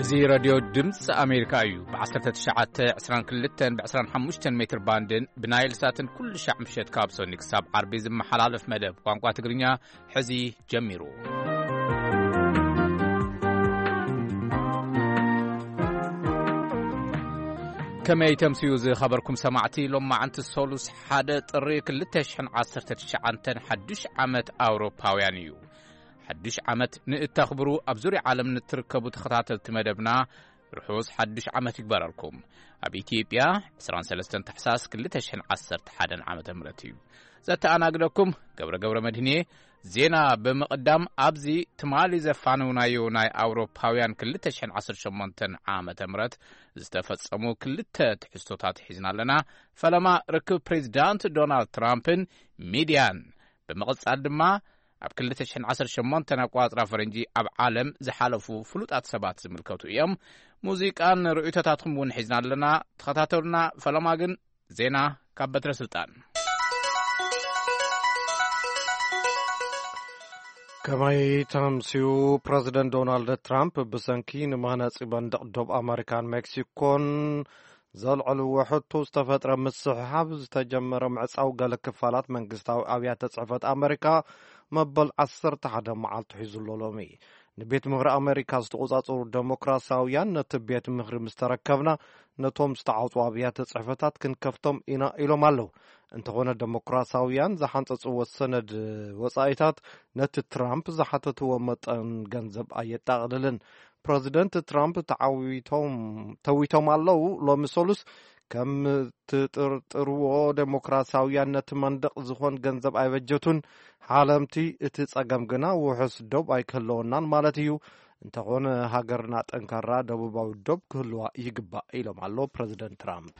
እዚ ሬድዮ ድምፂ ኣሜሪካ እዩ። ብ1922 ብ25 ሜትር ባንድን ብናይል ሳትን ኩሉ ሻዕ ምሸት ካብ ሰኒ ክሳብ ዓርቢ ዝመሓላለፍ መደብ ቋንቋ ትግርኛ ሕዚ ጀሚሩ። ከመይ ተምስዩ ዝኸበርኩም ሰማዕቲ? ሎማዓንቲ ሰሉስ ሓደ ጥሪ ክልተ ሽሕን ዓሰርተ ትሽዓተን ሓዱሽ ዓመት ኣውሮፓውያን እዩ። ሓዱሽ ዓመት ንእተኽብሩ ኣብ ዙርያ ዓለም ንትርከቡ ተኸታተልቲ መደብና ርሑስ ሓዱሽ ዓመት ይግበረልኩም። ኣብ ኢትዮጵያ ዕስራን ሰለስተን ታሕሳስ ክልተ ሽሕን ዓሰርተ ሓደን ዓመተ ምህረት እዩ። ዘተኣናግደኩም ገብረ ገብረ መድህንየ። ዜና ብምቕዳም፣ ኣብዚ ትማሊ ዘፋነውናዮ ናይ ኣውሮፓውያን ክልተ ሽሕን ዓሰርተ ሸሞንተን ዓመተ ምህረት ዝተፈጸሙ ክልተ ትሕዝቶታት ሒዝና ኣለና። ፈለማ ርክብ ፕሬዚዳንት ዶናልድ ትራምፕን ሚድያን፣ ብምቕጻል ድማ ኣብ ክልተ ሽሕን ዓሰርተ ሸሞንተን ኣቋጽራ ፈረንጂ ኣብ ዓለም ዝሓለፉ ፍሉጣት ሰባት ዝምልከቱ እዮም። ሙዚቃን ርእይቶታትኩም እውን ሒዝና ኣለና። ተኸታተሉና። ፈለማ ግን ዜና ካብ በትረ ስልጣን። ከመይ ተምስዩ? ፕረዚደንት ዶናልድ ትራምፕ ብሰንኪ ንመህነፂ መንደቕ ዶብ ኣመሪካን ሜክሲኮን ዘልዐልዎ ሕቶ ዝተፈጥረ ምስሕሓብ ዝተጀመረ ምዕጻው ገለ ክፋላት መንግስታዊ ኣብያተ ጽሕፈት ኣመሪካ መበል ዓሰርተ ሓደ መዓልቱ ሒዙ ኣሎ ሎሚ። ንቤት ምኽሪ ኣመሪካ ዝተቖጻጸሩ ደሞክራሲያውያን፣ ነቲ ቤት ምኽሪ ምስ ተረከብና ነቶም ዝተዓጽዉ ኣብያተ ጽሕፈታት ክንከፍቶም ኢና ኢሎም ኣለዉ። እንተኾነ ደሞክራሲያውያን ዝሓንጸጽዎ ሰነድ ወጻኢታት ነቲ ትራምፕ ዝሓተትዎ መጠን ገንዘብ ኣየጠቓልልን። ፕረዚደንት ትራምፕ ተዓዊቶም-፣ ተዊቶም ኣለዉ። ሎሚ ሰሉስ ከም ትጥርጥርዎ ደሞክራሲያውያን ነቲ መንደቕ ዝኾን ገንዘብ ኣይበጀቱን። ሓለምቲ እቲ ጸገም ግና ውሑስ ዶብ ኣይክህልወናን ማለት እዩ። እንተኾነ ሃገርና ጠንካራ ደቡባዊ ዶብ ክህልዋ ይግባእ ኢሎም ኣሎ ፕረዚደንት ትራምፕ።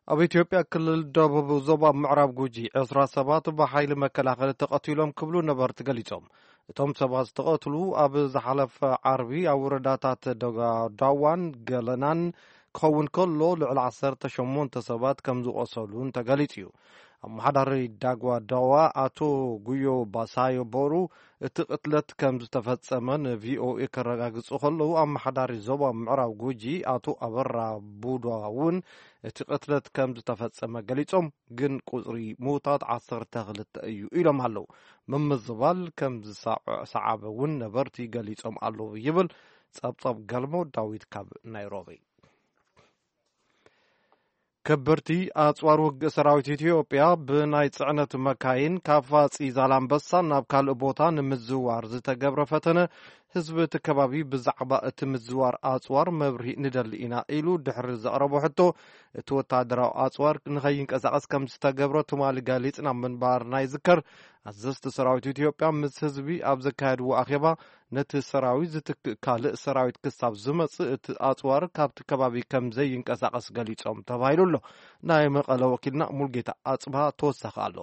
ኣብ ኢትዮጵያ ክልል ደቡብ ዞባ ምዕራብ ጉጂ ዕስራ ሰባት ብሓይሊ መከላኸሊ ተቐቲሎም ክብሉ ነበርቲ ገሊጾም። እቶም ሰባት ዝተቐትሉ ኣብ ዝሓለፈ ዓርቢ ኣብ ወረዳታት ደጋ-፣ ዳዋን ገለናን ክኸውን ከሎ፣ ልዕሊ ዓሰርተ ሸሞንተ ሰባት ከም ዝቖሰሉን ተገሊጹ እዩ። ኣመሓዳሪ ዳጓ ዳዋ ኣቶ ጉዮ ባሳዮ ቦሩ እቲ ቅትለት ከም ዝተፈጸመ ንቪኦኤ ከረጋግጹ ከለዉ፣ ኣመሓዳሪ ዞባ ምዕራብ ጉጂ ኣቶ ኣበራ ቡዳ እውን እቲ ቅትለት ከም ዝተፈጸመ ገሊጾም፣ ግን ቁጽሪ ምዉታት ዓሰርተ ክልተ እዩ ኢሎም ኣለዉ። ምምዝባል ከም ዝሰዓበ እውን ነበርቲ ገሊጾም ኣለዉ ይብል ጸብጻብ ገልሞ ዳዊት ካብ ናይሮቢ። ከበድቲ ኣጽዋር ውግእ ሰራዊት ኢትዮጵያ ብናይ ጽዕነት መካይን ካብ ፋጺ ዛላምበሳ ናብ ካልእ ቦታ ንምዝዋር ዝተገብረ ፈተነ፣ ህዝቢ እቲ ከባቢ ብዛዕባ እቲ ምዝዋር ኣጽዋር መብርሂ ንደሊ ኢና ኢሉ ድሕሪ ዘቕረቦ ሕቶ፣ እቲ ወታደራዊ ኣጽዋር ንኸይንቀሳቐስ ከም ዝተገብረ ትማሊ ገሊጽና ምንባርና ይዝከር። ኣዘዝቲ ሰራዊት ኢትዮጵያ ምስ ህዝቢ ኣብ ዘካየድዎ ኣኼባ፣ ነቲ ሰራዊት ዝትክእ ካልእ ሰራዊት ክሳብ ዝመጽእ እቲ ኣጽዋር ካብቲ ከባቢ ከም ዘይንቀሳቐስ ገሊጾም ተባሂሉ ኣሎ። ናይ መቐለ ወኪልና ሙልጌታ ኣጽብሃ ተወሳኺ ኣሎ።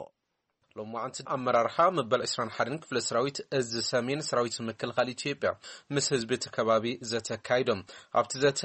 ሎማዓንቲ ኣመራርሓ መበል ዕስራን ሓደን ክፍለ ሰራዊት እዚ ሰሜን ሰራዊት ምክልኻል ኢትዮጵያ ምስ ህዝቢ እቲ ከባቢ ዘተ ኣካይዶም። ኣብቲ ዘተ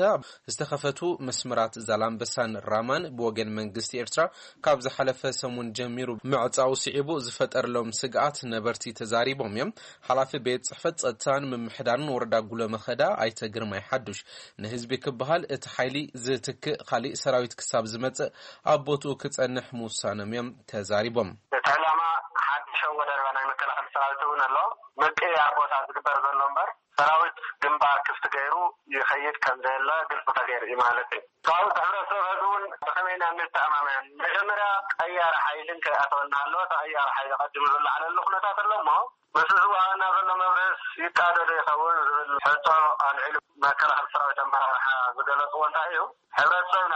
ዝተኸፈቱ መስመራት ዛላምበሳን ራማን ብወገን መንግስቲ ኤርትራ ካብ ዝሓለፈ ሰሙን ጀሚሩ ምዕጻው ስዒቡ ዝፈጠረሎም ስግኣት ነበርቲ ተዛሪቦም እዮም። ሓላፊ ቤት ጽሕፈት ጸጥታን ምምሕዳርን ወረዳ ጉሎ መኸዳ ኣይተ ግርማይ ሓዱሽ፣ ንህዝቢ ክበሃል እቲ ሓይሊ ዝትክእ ካሊእ ሰራዊት ክሳብ ዝመጽእ ኣብ ቦትኡ ክጸንሕ ምውሳኖም እዮም ተዛሪቦም። እቲ ዕላማ ሓድሽ ኣወዳድባ ናይ መከላኸሊ ሰራዊት እውን ኣሎ። ምቅያር ቦታ ዝግበር ዘሎ እምበር ሰራዊት ግንባር ክፍቲ ገይሩ ይኸይድ ከም ዘየለ ግልፂ ተገይሩ እዩ ማለት እዩ። ካብኡ እቲ ሕብረተሰብ ሕዚ እውን ብኸመይ ኢና እንተኣማመን? መጀመርያ ቀያሪ ሓይሊ እንከይኣተወና ኣለዎ። እቲ ቀያሪ ሓይሊ ቀዲሙ ዝለዓለሉ ኩነታት ኣሎ እሞ፣ ምስ ዝወሃበና ዘሎ መብርህስ ይቃዶ ዶ ይኸውን ዝብል ሕቶ ኣልዒሉ መከላኸሊ ሰራዊት ኣመራርሓ ዝገለፅዎ እንታይ እዩ? ሕብረተሰብና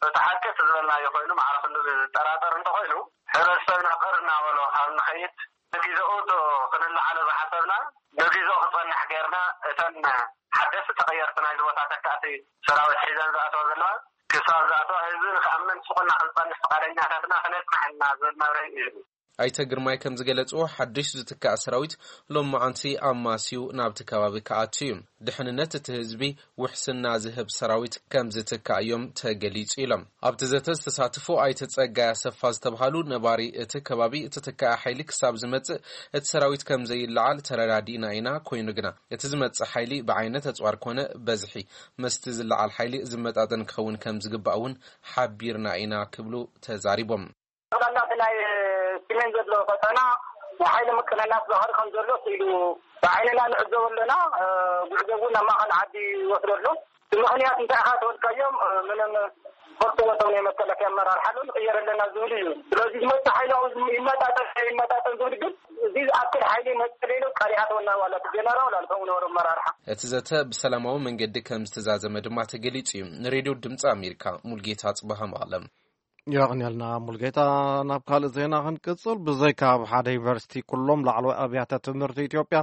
እቲ ሓቂ እቲ ዝበልናዮ ኮይኑ ማዕረ ክንዲ ዝጠራጠር እንተኾይኑ፣ ሕብረተሰብና ቅር እናበሎ ካብ ንኸይድ፣ ንግዜኡ እቶ ክንለዓሎ ዝሓሰብና ንግዜኡ ክጸንሕ ጌርና፣ እተን ሓደስቲ ተቐየርቲ ናይዚ ቦታ ተካእቲ ሰራዊት ሒዘን ዝኣተዋ ዘለዋ፣ ክሳብ ዝኣተዋ ህዝቢ ንክኣምን ስቑና ክንጸንሕ ፍቓደኛታትና ክነጽንሕ ኢና ዝብል መብርሂ እዩ። ኣይተ ግርማይ ከም ዝገለጽዎ፣ ሓድሽ ዝትካእ ሰራዊት ሎማዓንቲ ኣማስዩ ናብቲ ከባቢ ክኣቱ እዩ። ድሕንነት እቲ ህዝቢ ውሕስና ዝህብ ሰራዊት ከም ዝትካእ እዮም ተገሊጹ ኢሎም። ኣብቲ ዘተ ዝተሳተፉ ኣይተ ጸጋይ ኣሰፋ ዝተብሃሉ ነባሪ እቲ ከባቢ፣ እቲ ተካኢ ሓይሊ ክሳብ ዝመጽእ እቲ ሰራዊት ከም ዘይለዓል ተረዳዲእና ኢና። ኮይኑ ግና እቲ ዝመጽእ ሓይሊ ብዓይነት ኣጽዋር ኮነ በዝሒ መስቲ ዝለዓል ሓይሊ ዝመጣጠን ክኸውን ከም ዝግባእ እውን ሓቢርና ኢና ክብሉ ተዛሪቦም። ጠቕላላ እቲ ናይ ስሜን ዘሎ ፈተና ናይ ሓይሊ ምቅንናት ባህሪ ከም ዘሎ ስኢሉ ብዓይንና ንዕዘቦ ኣለና። እ፣ ጉዕዞ እውን ናብ ማእኸል ዓዲ ይወስዶ ኣሎ። እቲ ምኽንያት እንታይ ኢኻ ተወልካዮም? እ፣ ምንም ፈልጥዎ እቶም ናይ መከላከያ ኣመራርሓ ኣሎ፣ ንቕየር ኣለና ዝብል እዩ። ስለዚ ዝመጽእ ሓይሊ ኣብኡ ይመጣጠን ይመጣጠን ዝብል ግን እዚ ዝኣክል ሓይሊ መጸለይሎ ቃል ይኣተወና ዋላ እቲ ጀነራል ዋላ እቶም ንወር ኣመራርሓ። እቲ ዘተ ብሰላማዊ መንገዲ ከም ዝተዛዘመ ድማ ተገሊጹ እዩ። ንሬድዮ ድምፂ ኣሜሪካ ሙልጌታ ጽባሃ መቐለም። የቐንየልና ሙልጌታ። ናብ ካልእ ዜና ክንቅጽል። ብዘይካ ኣብ ሓደ ዩኒቨርሲቲ፣ ኩሎም ላዕለዋይ ኣብያተ ትምህርቲ ኢትዮጵያ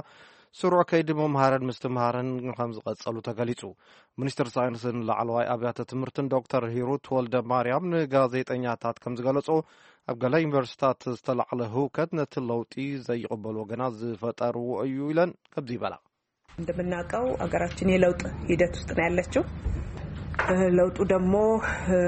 ስሩዕ ከይዲ ምምሃርን ምስትምሃርን ከም ዝቐጸሉ ተገሊጹ። ሚኒስትር ሳይንስን ላዕለዋይ ኣብያተ ትምህርትን ዶክተር ሂሩት ወልደ ማርያም ንጋዜጠኛታት ከም ዝገለጾ፣ ኣብ ገለ ዩኒቨርሲቲታት ዝተላዕለ ህውከት ነቲ ለውጢ ዘይቕበሉ ወገናት ዝፈጠርዎ እዩ ኢለን ከምዚ ይበላ። እንደምናውቀው ሀገራችን የለውጥ ሂደት ውስጥ ነው ያለችው። እ፣ ለውጡ ደግሞ፣ እ፣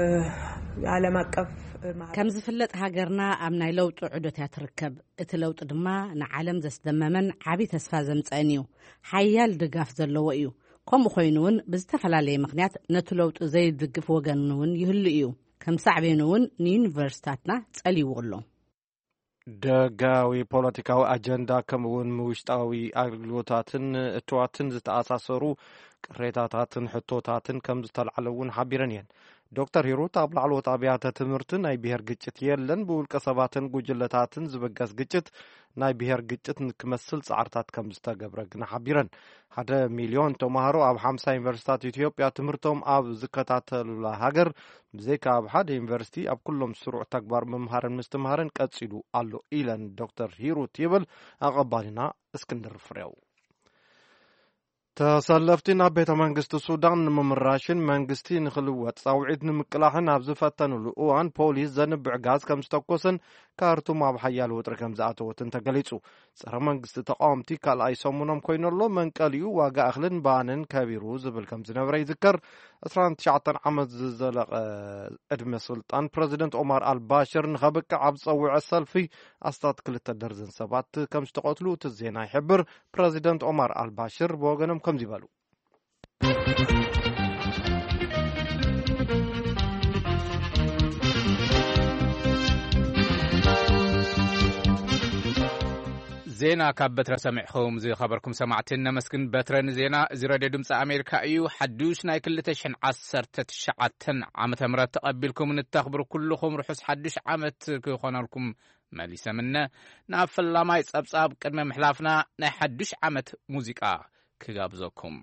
ዓለም አቀፍ፣ እ፣ ማህበረ- ከም ዝፍለጥ ሃገርና ኣብ ናይ ለውጢ ዑደት እያ ትርከብ። እቲ ለውጢ ድማ ንዓለም ዘስደመመን ዓቢ ተስፋ ዘምጸእን እዩ። ሓያል ድጋፍ ዘለዎ እዩ። ከምኡ ኮይኑ እውን ብዝተፈላለየ ምኽንያት ነቲ ለውጢ ዘይድግፍ ወገን እውን ይህሉ እዩ። ከም ሳዕቤኑ እውን ንዩኒቨርሲታትና ጸልይዎ ኣሎ። ደጋዊ ፖለቲካዊ ኣጀንዳ ከምኡ እውን ምውሽጣዊ ኣገልግሎታትን እትዋትን ዝተኣሳሰሩ ቅሬታታትን ሕቶታትን ከም ዝተላዕለ እውን ሓቢረን እየን። ዶክተር ሂሩት ኣብ ላዕለዎት ኣብያተ ትምህርቲ ናይ ብሄር ግጭት የለን፣ ብውልቀ ሰባትን ጉጅለታትን ዝበገስ ግጭት ናይ ብሄር ግጭት ንክመስል ጻዕርታት ከም ዝተገብረ ግን ሓቢረን። ሓደ ሚልዮን ተማሃሮ ኣብ ሓምሳ ዩኒቨርሲታት ኢትዮጵያ ትምህርቶም ኣብ ዝከታተሉላ ሃገር፣ ብዘይካ ኣብ ሓደ ዩኒቨርሲቲ ኣብ ኩሎም ስሩዕ ተግባር ምምሃርን ምስትምሃርን ቀጺሉ ኣሎ ኢለን ዶክተር ሂሩት ይብል ኣቐባሊና እስክንድር ፍሬው። ተሰለፍቲ ናብ ቤተ መንግስቲ ሱዳን ንምምራሽን መንግስቲ ንክልወጥ ጻውዒት ንምቅላሕን ኣብ ዝፈተኑሉ እዋን ፖሊስ ዘንብዕ ጋዝ ከም ዝተኮሰን ካርቱም ኣብ ሓያል ወጥሪ ከም ዝኣተወትን ተገሊጹ። ጸረ መንግስቲ ተቃወምቲ ካልኣይ ሰሙኖም ኮይኑ ኣሎ። መንቀሊኡ ዋጋ እኽልን ባንን ከቢሩ ዝብል ከም ዝነበረ ይዝከር። ዕስራን ትሽዓተን ዓመት ዝዘለቐ ዕድመ ስልጣን ፕረዚደንት ኦማር ኣልባሽር ንኸብቅዕ ኣብ ዝጸውዐ ሰልፊ ኣስታት ክልተ ደርዘን ሰባት ከም ዝተቐትሉ እቲ ዜና ይሕብር። ፕረዚደንት ኦማር ኣልባሽር ብወገኖም ከምዚ በሉ። ዜና ካብ በትረ ሰሚዕኹም ዝኸበርኩም ሰማዕቲ እነመስግን። በትረ ንዜና እዚ ሬድዮ ድምፂ ኣሜሪካ እዩ። ሓዱሽ ናይ ክልተ ሽሕን ዓሰርተ ትሽዓተን ዓመተ ምህረት ተቐቢልኩም ንተኽብሩ ኩልኹም ርሑስ ሓዱሽ ዓመት ክኾነልኩም መሊሰ ምነ። ናብ ፈላማይ ጸብጻብ ቅድሚ ምሕላፍና ናይ ሓዱሽ ዓመት ሙዚቃ ክጋብዘኩም።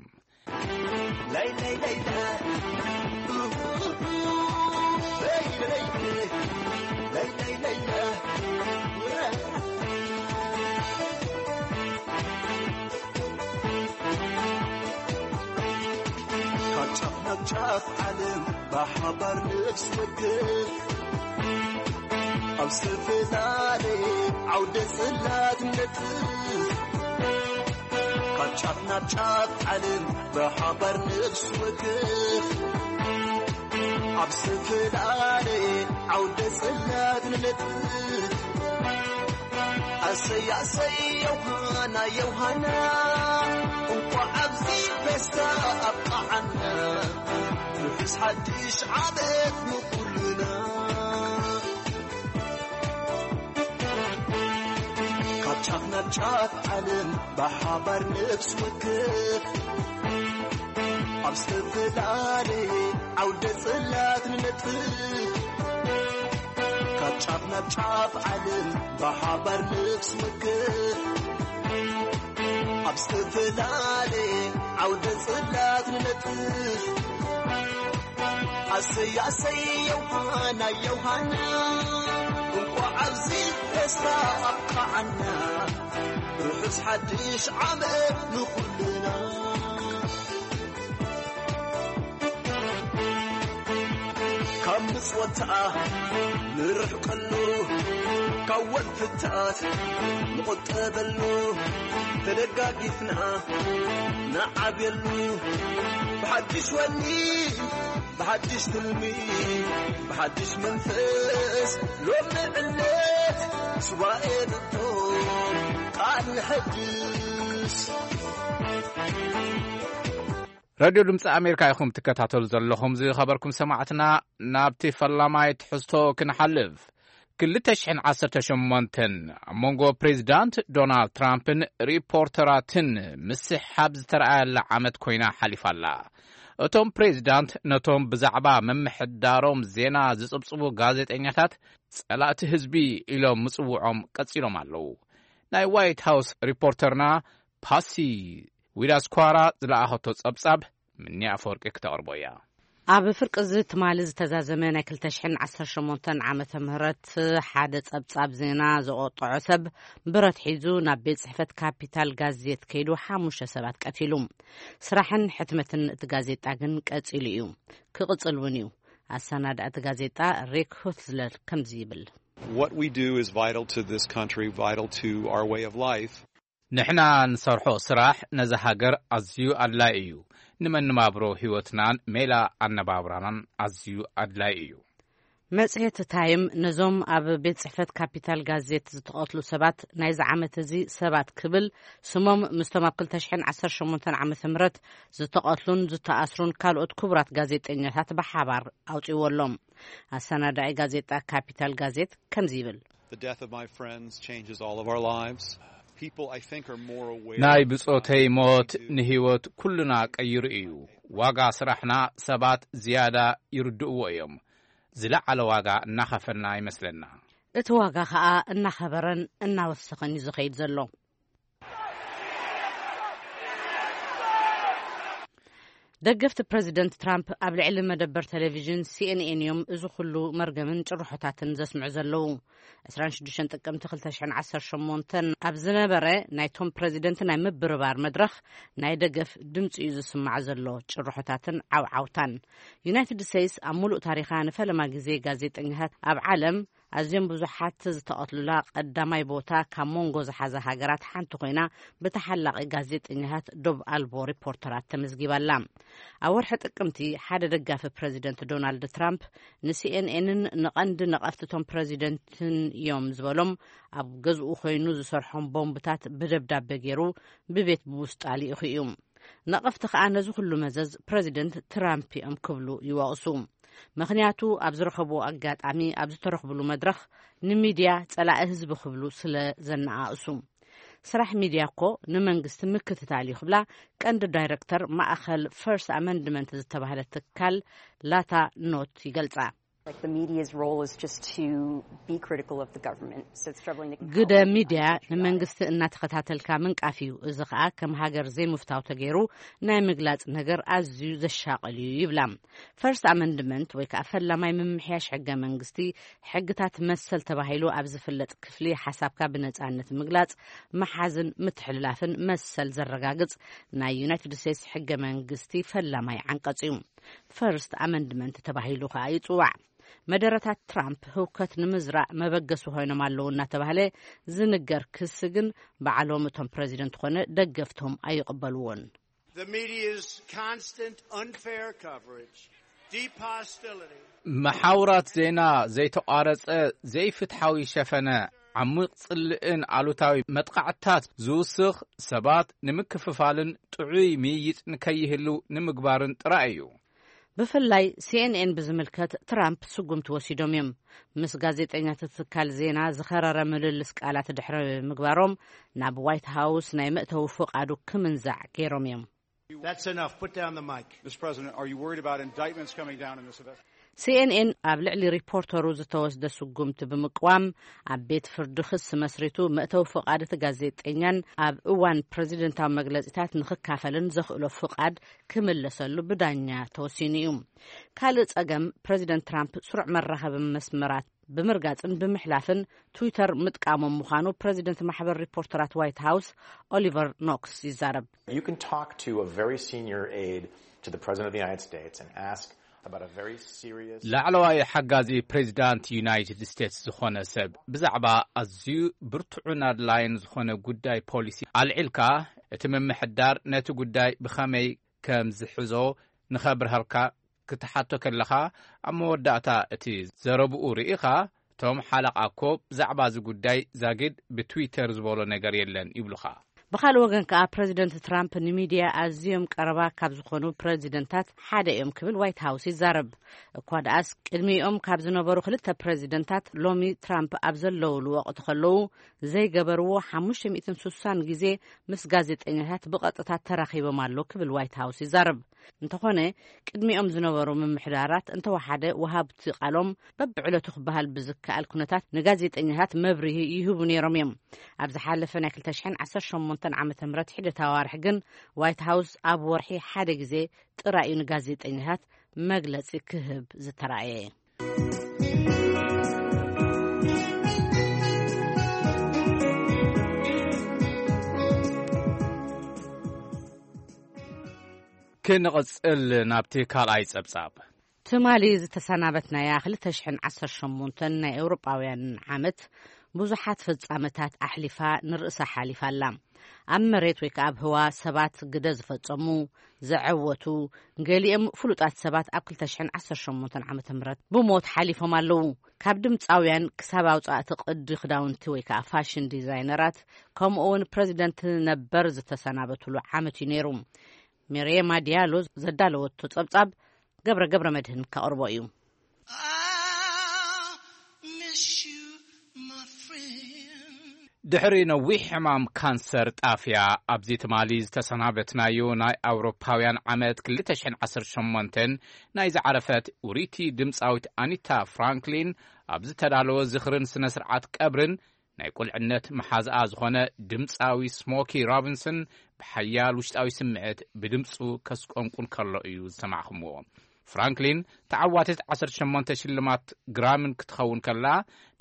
ካብ ጫፍ ናብ ጫፍ ዓለም ብሓባር ነፍስ ወከፍ ኣብ ዝተፈላለየ ዓውደ ጽላት ነጥፍ። ካብ ጫፍ ናብ ጫፍ ዓለም ብሓባር ነፍስ ወከፍ ኣብ ዝተፈላለየ ዓውደ ጽላት ንነጥፍ። ኣሰይ ኣሰይ ዮሃና ዮሃና፣ እንኳዕ ኣብዚ ፌስታ ኣብቃዓና። ርሑስ ሓድሽ ዓመት ንኹልና። ካብ ጫፍ ናብ ጫፍ ዓለም ብሓባር ነፍስ ወከፍ ኣብ ዝተፈላለየ ዓውደ ጽላት ንነጥፍ። ካብ ጫፍ ናብ ጫፍ ዓለም ብሓባር ነፍስ ወከፍ ኣብ ዝተፈላለየ ዓውደ ጽላት ንነጥፍ። ኣሰይ ኣሰይ ዮሃና ዮሃና፣ እንኳዕ ኣብዚ ፌስታ ኣብቃዓና። ርሑስ ሓድሽ ዓመት ንኹልና። ካብ ምጽወታ ንርሕቀሉ፣ ካብ ወልፍታት ንቑጠበሉ፣ ተደጋጊፍና ንዓብየሉ። ብሓድሽ ወኒ፣ ብሓድሽ ትልሚ፣ ብሓድሽ መንፈስ፣ ሎሚ ዕለት ሱባኤ ንቶ ቃል ንሐድስ። ሬድዮ ድምፂ ኣሜሪካ ኢኹም ትከታተሉ ዘለኹም። ዝኸበርኩም ሰማዕትና፣ ናብቲ ፈላማይ ትሕዝቶ ክንሓልፍ። ክልተ ሽሕን ዓሰርተ ሸሞንተን ኣብ መንጎ ፕሬዚዳንት ዶናልድ ትራምፕን ሪፖርተራትን ምስሕሓብ ዝተረኣየላ ዓመት ኮይና ሓሊፋ ኣላ። እቶም ፕሬዚዳንት ነቶም ብዛዕባ ምምሕዳሮም ዜና ዝጽብጽቡ ጋዜጠኛታት ጸላእቲ ህዝቢ ኢሎም ምጽውዖም ቀጺሎም ኣለዉ። ናይ ዋይት ሃውስ ሪፖርተርና ፓሲ ዊዳስኳራ ዝለኣኸቶ ጸብጻብ ምንያ ኣፈወርቂ ክተቕርቦ እያ። ኣብ ፍርቂ እዚ ትማሊ ዝተዛዘመ ናይ ክልተ ሽሕን ዓሰርተ ሸሞንተን ዓመተ ምህረት ሓደ ጸብጻብ ዜና ዘቆጠዖ ሰብ ብረት ሒዙ ናብ ቤት ጽሕፈት ካፒታል ጋዜት ከይዱ ሓሙሽተ ሰባት ቀቲሉ። ስራሕን ሕትመትን እቲ ጋዜጣ ግን ቀጺሉ እዩ። ክቕጽል እውን እዩ። ኣሰናዳእቲ ጋዜጣ ሪክ ሁትዝለር ከምዚ ይብል። What we do is vital to this country, vital to our way of life. ንሕና ንሰርሖ ስራሕ ነዛ ሃገር ኣዝዩ ኣድላዪ እዩ። ንመነባብሮ ህይወትናን ሜላ ኣነባብራናን ኣዝዩ ኣድላዪ እዩ። መጽሔት ታይም ነዞም ኣብ ቤት ጽሕፈት ካፒታል ጋዜት ዝተቐትሉ ሰባት ናይዚ ዓመት እዚ ሰባት ክብል ስሞም ምስቶም ኣብ ክልተ ሽሕን ዓሰርተ ሸሞንተን ዓመተ ምህረት ዝተቐትሉን ዝተኣስሩን ካልኦት ክቡራት ጋዜጠኛታት ብሓባር ኣውጺዎ ኣሎ። ኣሰናዳኢ ጋዜጣ ካፒታል ጋዜት ከምዚ ይብል። The death of my friends changes all of our lives. People, I think, are more aware ናይ ብጾተይ ሞት ንህይወት ኩልና ቀይሩ እዩ። ዋጋ ስራሕና ሰባት ዝያዳ ይርድእዎ እዮም። ዝለዓለ ዋጋ እናኸፈልና ይመስለና። እቲ ዋጋ ኸኣ እናኸበረን እናወሰኸን እዩ ዝኸይድ ዘሎ። ደገፍቲ ፕረዚደንት ትራምፕ ኣብ ልዕሊ መደበር ቴሌቪዥን ሲኤንኤን እዮም እዚ ኩሉ መርገምን ጭርሖታትን ዘስምዑ ዘለዉ። ዕስራን ሽዱሽተን ጥቅምቲ ክልተ ሽሕን ዓሰርተ ሸሞንተን ኣብ ዝነበረ ናይቶም ፕረዚደንት ናይ ምብርባር መድረኽ ናይ ደገፍ ድምፂ እዩ ዝስማዕ ዘሎ። ጭርሖታትን ዓውዓውታን። ዩናይትድ ስቴትስ ኣብ ሙሉእ ታሪኻ ንፈለማ ግዜ ጋዜጠኛታት ኣብ ዓለም ኣዝዮም ብዙሓት ዝተቐትሉላ ቀዳማይ ቦታ ካብ መንጎ ዝሓዛ ሃገራት ሓንቲ ኮይና፣ ብተሓላቒ ጋዜጠኛታት ዶብ ኣልቦ ሪፖርተራት ተመዝጊባላ። ኣብ ወርሒ ጥቅምቲ ሓደ ደጋፊ ፕረዚደንት ዶናልድ ትራምፕ ንሲኤንኤንን ንቐንዲ ነቐፍቲ እቶም ፕረዚደንትን እዮም ዝበሎም ኣብ ገዝኡ ኮይኑ ዝሰርሖም ቦምብታት ብደብዳቤ ገይሩ ብቤት ብውስጣ ልኢኹ እዩ። ነቐፍቲ ከኣ ነዚ ኩሉ መዘዝ ፕረዚደንት ትራምፕ እዮም ክብሉ ይወቕሱ። ምኽንያቱ ኣብ ዝረኸብዎ ኣጋጣሚ ኣብ ዝተረኽብሉ መድረኽ ንሚድያ ጸላኢ ህዝቢ ክብሉ ስለ ዘነኣእሱ። ስራሕ ሚድያ እኮ ንመንግስቲ ምክትታል እዩ ክብላ ቀንዲ ዳይረክተር ማእኸል ፈርስት ኣመንድመንት ዝተባህለ ትካል ላታ ኖት ይገልጻ። Like the media's role is just to be critical of the government. So it's troubling to ግደ ሚድያ ንመንግስቲ እናተኸታተልካ ምንቃፍ እዩ። እዚ ኸኣ ከም ሃገር ዘይምፍታው ተገይሩ ናይ ምግላጽ ነገር ኣዝዩ ዘሻቕል እዩ ይብላ። ፈርስት ኣመንድመንት ወይ ከዓ ፈላማይ ምምሕያሽ ሕገ መንግስቲ ሕግታት መሰል ተባሂሉ ኣብ ዝፍለጥ ክፍሊ ሓሳብካ ብነጻነት ምግላጽ፣ መሓዝን ምትሕልላፍን መሰል ዘረጋግጽ ናይ ዩናይትድ ስቴትስ ሕገ መንግስቲ ፈላማይ ዓንቀጽ እዩ። ፈርስት ኣመንድመንት ተባሂሉ ከኣ ይጽዋዕ። መደረታት ትራምፕ ህውከት ንምዝራእ መበገሲ ኮይኖም ኣለዉ እናተባህለ ዝንገር ክሲ ግን ባዕሎም እቶም ፕረዚደንት ኮነ ደገፍቶም ኣይቕበልዎን። The media's constant unfair coverage, deep hostility. መሓውራት ዜና ዘይተቋረጸ ዘይፍትሓዊ ሸፈነ፣ ዓሚቕ ጽልእን ኣሉታዊ መጥቓዕትታት ዝውስኽ፣ ሰባት ንምክፍፋልን ጥዑይ ምይይጥ ንከይህሉ ንምግባርን ጥራይ እዩ። ብፍላይ ሲኤንኤን ብዝምልከት ትራምፕ ስጉምቲ ወሲዶም እዮም። ምስ ጋዜጠኛታት ትካል ዜና ዝኸረረ ምልልስ ቃላት ድሕሪ ምግባሮም ናብ ዋይት ሃውስ ናይ መእተዊ ፍቓዱ ክምንዛዕ ገይሮም እዮም። That's enough. Put down the mic. Mister President, are you worried about indictments coming down in this event? ሲኤንኤን ኣብ ልዕሊ ሪፖርተሩ ዝተወስደ ስጉምቲ ብምቅዋም ኣብ ቤት ፍርዲ ክሲ መስሪቱ መእተዊ ፍቓድ እቲ ጋዜጠኛን ኣብ እዋን ፕረዚደንታዊ መግለጺታት ንክካፈልን ዘኽእሎ ፍቓድ ክምለሰሉ ብዳኛ ተወሲኑ እዩ። ካልእ ጸገም ፕረዚደንት ትራምፕ ስሩዕ መራኸቢ መስመራት ብምርጋጽን ብምሕላፍን ትዊተር ምጥቃሞም ምዃኑ ፕረዚደንት ማሕበር ሪፖርተራት ዋይት ሃውስ ኦሊቨር ኖክስ ይዛረብ። You can talk to a very senior aide to the President of the United States and ask about a very serious ላዕለዋይ ሓጋዚ ፕሬዚዳንት ዩናይትድ ስቴትስ ዝኾነ ሰብ ብዛዕባ ኣዝዩ ብርቱዕን ኣድላይን ዝኾነ ጉዳይ ፖሊሲ ኣልዒልካ፣ እቲ ምምሕዳር ነቲ ጉዳይ ብኸመይ ከም ዝሕዞ ንኸብርሃልካ ክትሓቶ ከለኻ፣ ኣብ መወዳእታ እቲ ዘረብኡ ርኢኻ፣ እቶም ሓለቓ እኮ ብዛዕባ እዚ ጉዳይ ዛጊድ ብትዊተር ዝበሎ ነገር የለን ይብሉኻ። ብኻልእ ወገን ከኣ ፕረዚደንት ትራምፕ ንሚድያ ኣዝዮም ቀረባ ካብ ዝኾኑ ፕረዚደንታት ሓደ እዮም ክብል ዋይት ሃውስ ይዛረብ። እኳ ደኣስ ቅድሚኦም ካብ ዝነበሩ ክልተ ፕረዚደንታት ሎሚ ትራምፕ ኣብ ዘለውሉ ወቕቲ ከለዉ ዘይገበርዎ ሓሙሽተ ሚእትን ስሳን ግዜ ምስ ጋዜጠኛታት ብቐጥታ ተራኺቦም ኣሎ ክብል ዋይት ሃውስ ይዛረብ። እንተኾነ ቅድሚኦም ዝነበሩ ምምሕዳራት እንተወሓደ ወሃብቲ ቃሎም በብዕለቱ ክበሃል ብዝከኣል ኩነታት ንጋዜጠኛታት መብርሂ ይህቡ ነይሮም እዮም። ኣብ ዝሓለፈ ናይ ክልተ ሽሕን ዓሰርተ ሸሞንተን ዓመተ ምህረት ሒደት ኣዋርሕ ግን ዋይት ሃውስ ኣብ ወርሒ ሓደ ግዜ ጥራይ እዩ ንጋዜጠኛታት መግለጺ ክህብ ዝተራእየ። ክንቕጽል ናብቲ ካልኣይ ጸብጻብ። ትማሊ ዝተሰናበትናያ ክልተ ሽሕን ዓሰርተ ሸሞንተን ናይ ኤውሮጳውያን ዓመት ብዙሓት ፍጻመታት ኣሕሊፋ ንርእሳ ሓሊፋ ኣላ። ኣብ መሬት ወይ ከኣ ኣብ ህዋ ሰባት ግደ ዝፈጸሙ፣ ዘዐወቱ፣ ገሊኦም ፍሉጣት ሰባት ኣብ ክልተ ሽሕን ዓሰርተ ሸሞንተን ዓመተ ምህረት ብሞት ሓሊፎም ኣለዉ። ካብ ድምጻውያን ክሳብ ኣውጻእቲ ቅዲ ክዳውንቲ ወይ ከኣ ፋሽን ዲዛይነራት፣ ከምኡ እውን ፕረዚደንት ነበር ዝተሰናበትሉ ዓመት እዩ ነይሩ። ሜርየማ ዲያሎ ዘዳለወቶ ጸብጻብ ገብረ ገብረ መድህን ከቕርቦ እዩ። I miss you, my friend. ድሕሪ ነዊሕ ሕማም ካንሰር ጣፍያ፣ ኣብዚ ትማሊ ዝተሰናበትናዮ ናይ ኣውሮፓውያን ዓመት ክልተ ሽሕን ዓሰርተ ሸሞንተን ናይ ዝዓረፈት ውርይቲ ድምጻዊት ኣኒታ ፍራንክሊን ኣብ ዝተዳለወ ዝኽርን ስነ ስርዓት ቀብርን ናይ ቁልዕነት መሓዝኣ ዝኾነ ድምጻዊ ስሞኪ ሮቢንሰን ብሓያል ውሽጣዊ ስምዒት ብድምጹ ከስቆንቁን ከሎ እዩ ዝሰማዕኹምዎ። ፍራንክሊን ተዓዋቲት ዓሰርተ ሸሞንተ ሽልማት ግራምን ክትኸውን ከላ፣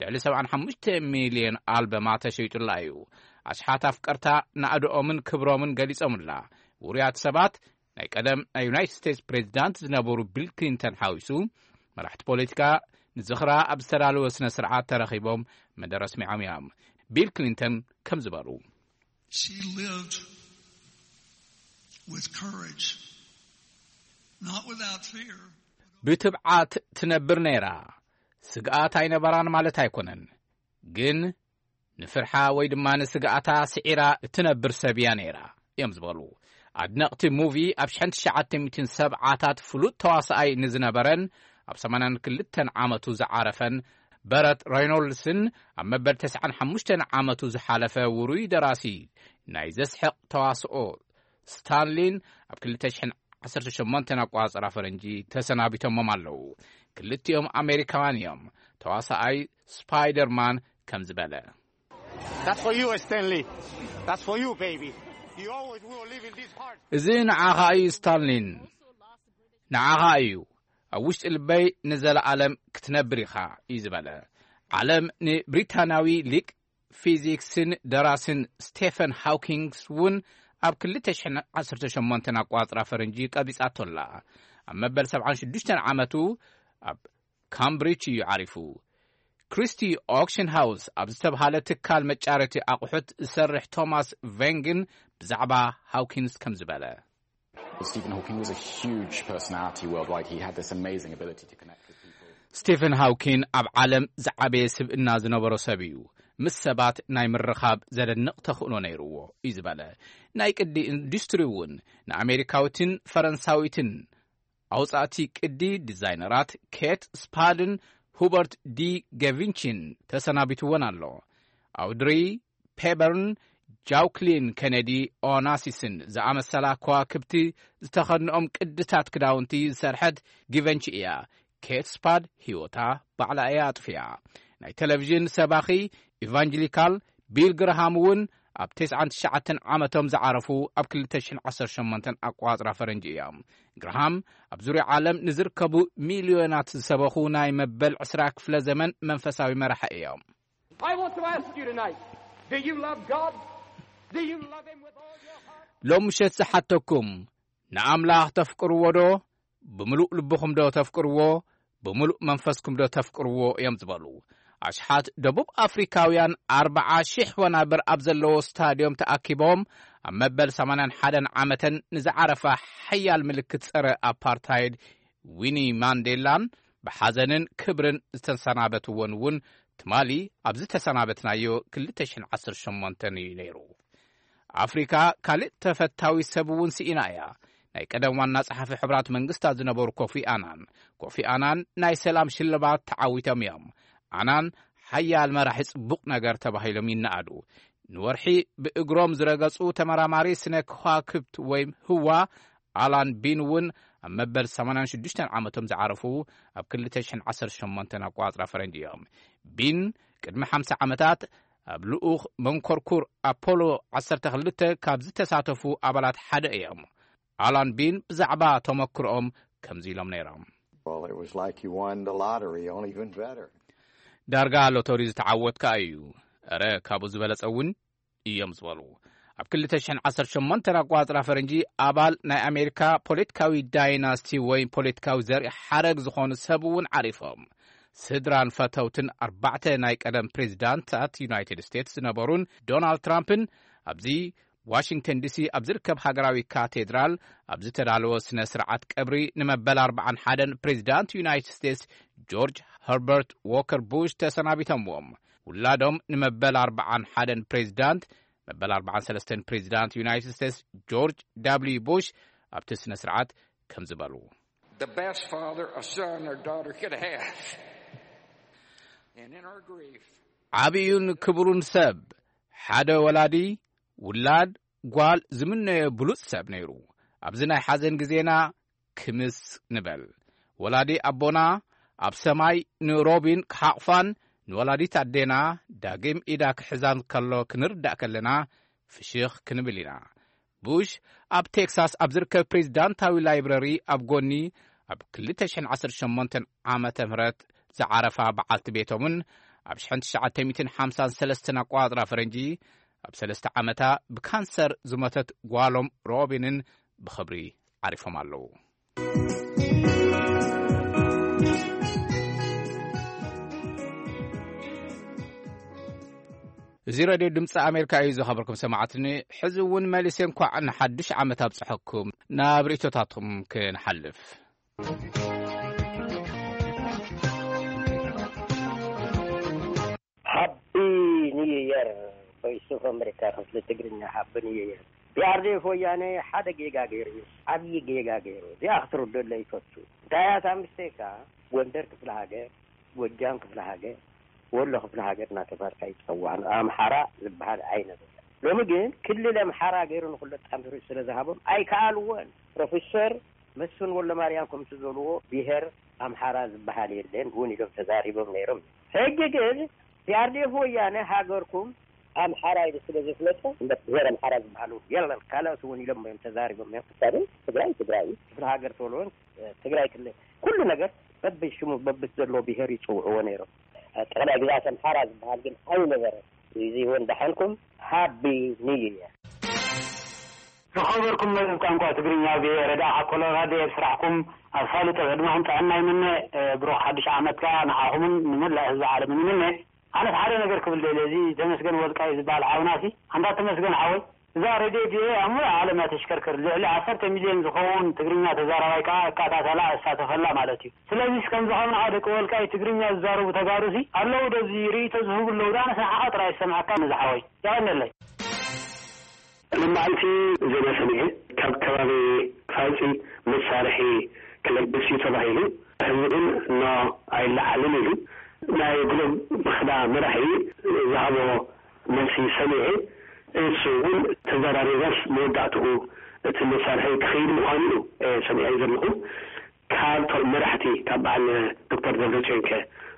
ልዕሊ ሰብዓን ሓሙሽተ ሚልዮን ኣልበማ ተሸይጡላ እዩ። ኣሽሓት ኣፍቀርታ ናእድኦምን ክብሮምን ገሊጾምላ። ውሩያት ሰባት ናይ ቀደም ናይ ዩናይትድ ስቴትስ ፕሬዚዳንት ዝነበሩ ቢል ክሊንተን ሓዊሱ፣ መራሕቲ ፖለቲካ ንዝኽራ ኣብ ዝተዳለወ ስነ ስርዓት ተረኺቦም መደረ ኣስሚዖም እዮም። ቢል ክሊንተን ከም ዝበሉ፣ She lived with courage, not without fear. ብትብዓት ትነብር ነይራ። ስግኣት ኣይነበራን ማለት ኣይኮነን፣ ግን ንፍርሓ ወይ ድማ ንስግኣታ ስዒራ እትነብር ሰብ እያ ነይራ እዮም ዝበሉ ኣድነቕቲ ሙቪ። ኣብ ሽሕን ትሽዓተ ሚእትን ሰብዓታት ፍሉጥ ተዋስኣይ ንዝነበረን ኣብ ሰማንያን ክልተን ዓመቱ ዝዓረፈን በረት ሬኖልድስን ኣብ መበል ተስዓን ሓሙሽተን ዓመቱ ዝሓለፈ ውሩይ ደራሲ ናይ ዘስሕቕ ተዋስኦ ስታንሊን ኣብ ክልተ ሽሕን ዓሰርተ ሸሞንተን ኣቋጽራ ፈረንጂ ተሰናቢቶሞም ኣለዉ። ክልቲኦም ኣሜሪካውያን እዮም። ተዋሳኣይ ስፓይደርማን ከም ዝበለ፣ That's for you, Stanley. That's for you, baby. You always will live in this heart. እዚ ንዓኻ እዩ ስታንሊን፣ ንዓኻ እዩ። ኣብ ውሽጢ ልበይ ንዘለኣለም ክትነብር ኢኻ እዩ ዝበለ። ዓለም ንብሪታናዊ ሊቅ ፊዚክስን ደራስን ስቴፈን ሃውኪንግስ እውን ኣብ ክልተ ሽሕን ዓሰርተ ሸሞንተን ኣቋጽራ ፈረንጂ ቀቢጻቶ ኣላ። ኣብ መበል ሰብዓን ሽዱሽተን ዓመቱ ኣብ ካምብሪጅ እዩ ዓሪፉ። ክሪስቲ ኦክሽን ሃውስ ኣብ ዝተብሃለ ትካል መጫረቲ ኣቑሑት ዝሰርሕ ቶማስ ቬንግን ብዛዕባ ሃውኪንስ ከም ዝበለ፣ Stephen Hawking was a huge personality worldwide. He had this amazing ability to connect with people. ስቴፈን ሃውኪን ኣብ ዓለም ዝዓበየ ስብእና ዝነበሮ ሰብ እዩ። ምስ ሰባት ናይ ምርኻብ ዘደንቕ ተኽእሎ ነይርዎ እዩ ዝበለ። ናይ ቅዲ ኢንዱስትሪ እውን ንኣሜሪካዊትን ፈረንሳዊትን ኣውጻእቲ ቅዲ ዲዛይነራት ኬት ስፓድን ሁበርት ዲ ገቪንቺን ተሰናቢትወን ኣሎ። ኣውድሪ ፔበርን ጃውክሊን ኬነዲ ኦናሲስን ዝኣመሰላ ከዋክብቲ ዝተኸድንኦም ቅድታት ክዳውንቲ ዝሰርሐት ጊቨንቺ እያ። ኬት ስፓድ ህይወታ ባዕላ እያ ኣጥፊኣ። ናይ ቴሌቪዥን ሰባኺ ኢቫንጀሊካል ቢል ግርሃም እውን ኣብ ተስዓን ትሽዓተን ዓመቶም ዝዓረፉ ኣብ ክልተ ሽሕን ዓሰርተ ሸሞንተን ኣቋጽራ ፈረንጂ እዮም። ግርሃም ኣብ ዙርያ ዓለም ንዝርከቡ ሚልዮናት ዝሰበኹ ናይ መበል ዕስራ ክፍለ ዘመን መንፈሳዊ መራሒ እዮም። I want to ask you tonight, do you love God? Do you love Him with all your heart? ሎም ምሸት ዝሓተኩም፣ ንኣምላኽ ተፍቅርዎ ዶ? ብምሉእ ልብኹም ዶ ተፍቅርዎ? ብምሉእ መንፈስኩም ዶ ተፍቅርዎ እዮም ዝበሉ። ኣሽሓት ደቡብ ኣፍሪካውያን ኣርብዓ ሺሕ ወናብር ኣብ ዘለዎ ስታድዮም ተኣኪቦም ኣብ መበል ሰማንያን ሓደን ዓመተን ንዝዓረፋ ሓያል ምልክት ጸረ ኣፓርታይድ ዊኒ ማንዴላን ብሓዘንን ክብርን ዝተሰናበትዎን እውን ትማሊ ኣብ ዝተሰናበትናዮ ክልተ ሽሕን ዓሰርተ ሸሞንተን እዩ ነይሩ። ኣፍሪካ ካልእ ተፈታዊ ሰብ እውን ስኢና እያ። ናይ ቀደም ዋና ጸሓፊ ሕቡራት መንግስታት ዝነበሩ ኮፊ ኣናን። ኮፊ ኣናን ናይ ሰላም ሽልማት ተዓዊቶም እዮም። ኣናን ሓያል መራሒ ጽቡቕ ነገር ተባሂሎም ይነኣዱ። ንወርሒ ብእግሮም ዝረገጹ ተመራማሪ ስነ ከዋክብት ወይም ህዋ ኣላን ቢን እውን ኣብ መበል ሰማንያን ሽዱሽተን ዓመቶም ዝዓረፉ ኣብ ክልተ ሽሕን ዓሰርተ ሸሞንተን ኣቋጽራ ፈረንጂ እዮም። ቢን ቅድሚ ሓምሳ ዓመታት ኣብ ልኡኽ መንኮርኩር ኣፖሎ ዓሰርተ ክልተ ካብ ዝተሳተፉ ኣባላት ሓደ እዮም። ኣላን ቢን ብዛዕባ ተመክሮኦም ከምዚ ኢሎም ነይሮም። Well, it was like you won the lottery, only even better. ዳርጋ ሎተሪ ዝተዓወትካ እዩ። እረ ካብኡ ዝበለጸ እውን እዮም ዝበሉ። ኣብ ክልተ ሽሕን ዓሰርተ ሸሞንተን ኣቋጽራ ፈረንጂ ኣባል ናይ ኣሜሪካ ፖለቲካዊ ዳይናስቲ ወይ ፖለቲካዊ ዘርኢ ሓረግ ዝኾኑ ሰብ እውን ዓሪፎም። ስድራን ፈተውትን ኣርባዕተ ናይ ቀደም ፕሬዚዳንታት ዩናይትድ ስቴትስ ዝነበሩን ዶናልድ ትራምፕን ኣብዚ ዋሽንግተን ዲሲ ኣብ ዝርከብ ሃገራዊ ካቴድራል ኣብ ዝተዳለወ ስነ ስርዓት ቀብሪ ንመበል ኣርባዓን ሓደን ፕሬዚዳንት ዩናይትድ ስቴትስ ጆርጅ ኸርበርት ዎከር ቡሽ ተሰናቢቶምዎም። ውላዶም ንመበል ኣርባዓን ሓደን ፕሬዚዳንት፣ መበል ኣርባዓን ሰለስተን ፕሬዚዳንት ዩናይትድ ስቴትስ ጆርጅ ዳብልዩ ቡሽ ኣብቲ ስነ ስርዓት ከምዚ በሉ። The best father a son or daughter could have. And in our grief, ዓብዩን ክቡሩን ሰብ፣ ሓደ ወላዲ፣ ውላድ፣ ጓል ዝምነዮ ብሉጽ ሰብ ነይሩ። ኣብዚ ናይ ሓዘን ግዜና ክምስ ንበል። ወላዲ ኣቦና ኣብ ሰማይ ንሮቢን ክሓቕፋን ንወላዲት ኣዴና ዳግም ኢዳ ክሕዛን ከሎ ክንርዳእ ከለና ፍሽኽ ክንብል ኢና። ቡሽ ኣብ ቴክሳስ ኣብ ዝርከብ ፕሬዚዳንታዊ ላይብረሪ ኣብ ጎኒ ኣብ ክልተ ሽሕን ዓሰርተ ሸሞንተን ዓመተ ምህረት ዝዓረፋ በዓልቲ ቤቶምን ኣብ ሽሕን ትሽዓተ ሚእትን ሓምሳን ሰለስተን ኣቋጽራ ፈረንጂ ኣብ ሰለስተ ዓመታ ብካንሰር ዝሞተት ጓሎም ሮቢንን ብኽብሪ ዓሪፎም ኣለዉ። እዚ ሬድዮ ድምፂ ኣሜሪካ እዩ። ዝኸበርኩም ሰማዕትኒ፣ ሕዚ እውን መሊሰ እንኳዕ ንሓዱሽ ዓመት ኣብፅሐኩም ናብ ርእቶታትኩም ክንሓልፍ። ሃቢ ኒው የር። ቮይስ ኦፍ ኣሜሪካ ክፍሊ ትግርኛ። ሃቢ ኒው የር። ቢኣርዴፍ ወያነ ሓደ ጌጋ ገይሩ እዩ፣ ዓብዪ ጌጋ ገይሩ። እዚኣ ክትርደሎ ይፈቱ። እንታይ እያ እታ ምስቴካ? ጎንደር ክፍለ ሃገር፣ ጎጃም ክፍለ ሃገር፣ ወሎ ክፍለ ሃገር እናተባልካ ይፀዋዕ። ኣምሓራ ዝበሃል ኣይነበረ። ሎሚ ግን ክልል ኣምሓራ ገይሩ ንኩሉ ኣጣምሩ ስለ ዝሃቦም ኣይከኣልዎን። ፕሮፌሰር መስፍን ወልደማርያም ከምቲ ዝበልዎ ብሄር ኣምሓራ ዝበሃል የለን እውን ኢሎም ተዛሪቦም ነይሮም። ሕጂ ግን ፒኣርዲኤፍ ወያነ ሃገርኩም ኣምሓራ ኢሉ ስለ ዘፍለጠ እምበር ብሄር ኣምሓራ ዝበሃል እውን የለን። ካልኦት እውን ኢሎም እዮም ተዛሪቦም እዮም። ክሳብ ትግራይ ትግራይ ክፍለ ሃገር ተብልዎን ትግራይ ክልል ኩሉ ነገር በብሽሙ በብዘለዎ ብሄር ይፅውዕዎ ነይሮም። ጠቕላይ ግዛት ኣምሓራ ዝበሃል ግን ኣይነበረን። እዚ እውን ደሓንኩም ሃቢ ኒው ይር። ዝኸበርኩም መዝብ ቋንቋ ትግርኛ፣ ብረዳ ሓኮሎ ራድዮ ስራሕኩም ኣሳልጦ ዕድመኹም ጥዕና ይምነ። ብሩኽ ሓድሽ ዓመት ከኣ ንዓኹምን ንመላእ ህዝቢ ዓለምን ይምነ። ኣነስ ሓደ ነገር ክብል ደልየ፣ እዚ ተመስገን ወልቃይ ዝበሃል ሓውናሲ፣ ኣንታ ተመስገን ሓወይ፣ እዛ ሬድዮ ቪኦኤ ኣብ ሙሉእ ዓለም እያ ተሽከርከር። ልዕሊ ዓሰርተ ሚልዮን ዝኸውን ትግርኛ ተዛራባይ ከኣ እከታተላ፣ እሳተፈላ ማለት እዩ። ስለዚስ ከምዚ ከምንኻ ደቂ ወልቃይ ትግርኛ ዝዛረቡ ተጋሩሲ ኣለዉ ዶ? እዚ ርእይቶ ዝህቡ ኣለዉ ዶ? ኣነስ ንዓኻ ጥራይ ዝሰምዓካ ነዚ ሓወይ። የቐንየለይ። ሎማዓንቲ ዜና ሰሚዐ፣ ካብ ከባቢ ፋፂ መሳርሒ ክለግስ እዩ ተባሂሉ፣ ህዝቢ ግን ኖ ኣይለዓልን ኢሉ። ናይ ግሎብ ምኽዳ መራሒ ዝሃቦ መልሲ ሰሚዐ፣ እሱ እውን ተዘራሪበስ መወዳእትኡ እቲ መሳርሒ ክኸይድ ምዃኑ እዩ፣ እ፣ ሰሚዐ ዘለኹ። ካብ ቶም መራሕቲ፣ ካብ በዓል ዶክተር ደብረፅዮን ከ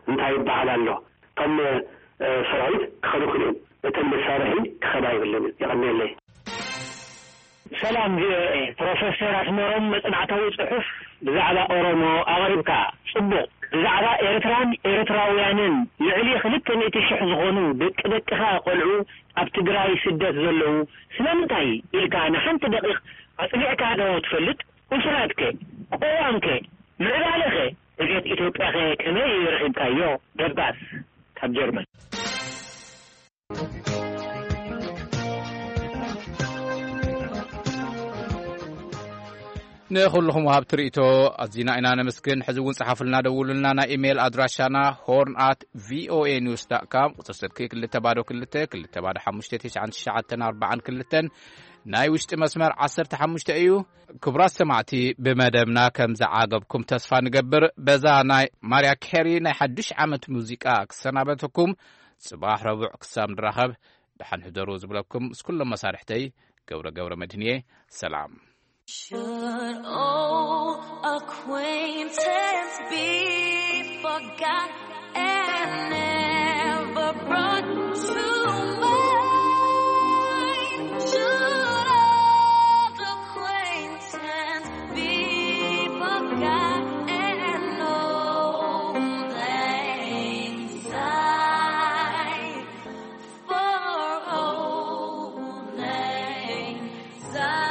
እንታይ ይበሃል ኣሎ? እቶም፣ እ፣ ሰራዊት ክኸዱ ክልኦም፣ እተን መሳርሒ ክኸዳ የብለን። የቐንየለይ። ሰላም ቪኦኤ፣ ፕሮፌሰር ኣስመሮም መጽናዕታዊ ጽሑፍ ብዛዕባ ኦሮሞ ኣቕሪብካ። ጽቡቕ። ብዛዕባ ኤርትራን ኤርትራውያንን ልዕሊ ክልተ ሚእቲ ሽሕ ዝኾኑ ደቂ ደቅኻ ቆልዑ ኣብ ትግራይ ስደት ዘለዉ ስለምንታይ ኢልካ ንሓንቲ ደቂቕ ኣጽኒዕካ ዶ ትፈልጥ? ኡስራትከ? ቅዋምከ? ምዕባለኸ? እቤት ኢትዮጵያኸ ከመይ ረኺብካዮ? ደባስ ካብ ጀርመን። ንኹልኹም ወሃብቲ ርእይቶ ኣዚና ኢና ነመስግን። ሕዚ እውን ጸሓፉልና፣ ደውሉልና። ናይ ኢሜይል ኣድራሻና ሆርን ኣት ቪኦኤ ኒውስ ዳት ካም፣ ቁጽሪ ስልኪ ክልተ ባዶ ክልተ ክልተ ባዶ ሓሙሽተ ትሽዓን ትሽዓተን ኣርባዓን ክልተን፣ ናይ ውሽጢ መስመር ዓሰርተ ሓሙሽተ እዩ። ክቡራት ሰማዕቲ፣ ብመደብና ከም ዝዓገብኩም ተስፋ ንገብር። በዛ ናይ ማርያ ኬሪ ናይ ሓዱሽ ዓመት ሙዚቃ ክሰናበተኩም፣ ጽባሕ ረቡዕ ክሳብ ንራኸብ ደሓን ሕደሩ ዝብለኩም ምስ ኩሎም መሳርሕተይ ገብረ ገብረ መድህንየ። ሰላም። Should old acquaintance be forgot and never brought to mind? Should old acquaintance be forgot and old lang syne? For old lang syne.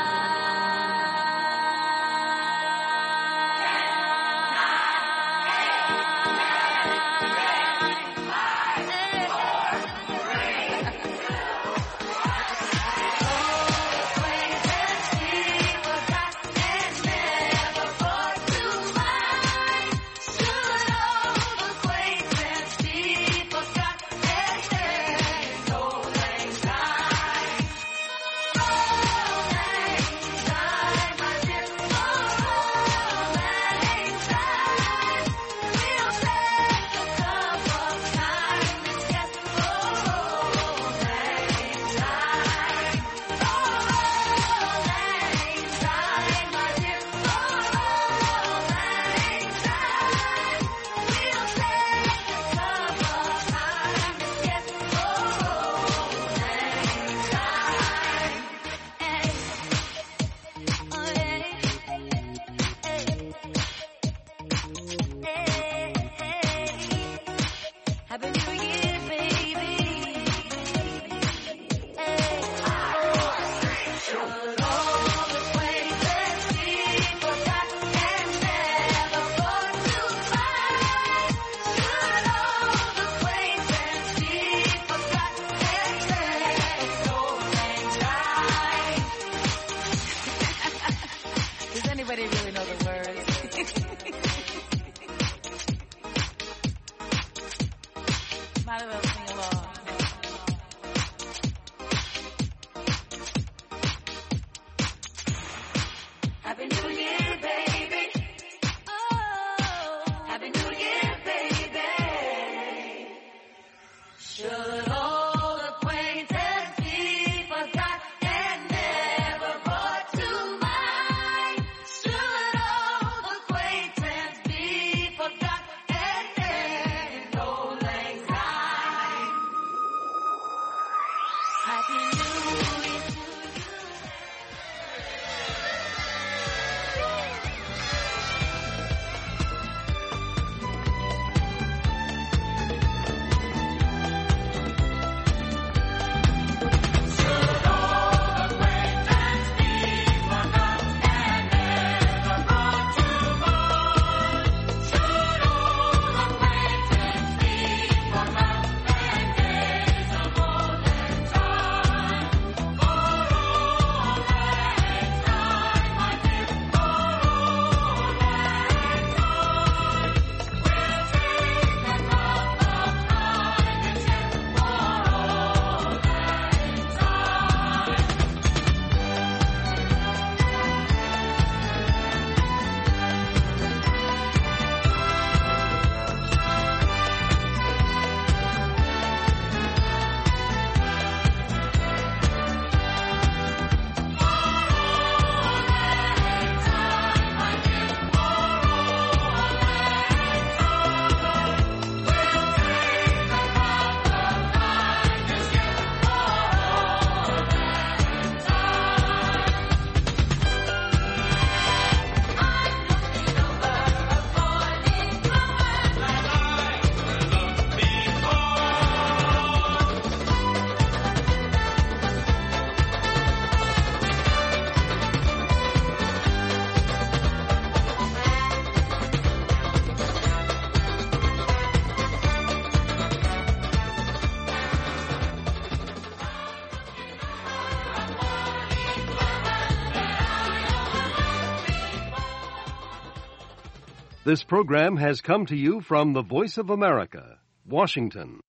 This program has come to you from the Voice of America, Washington.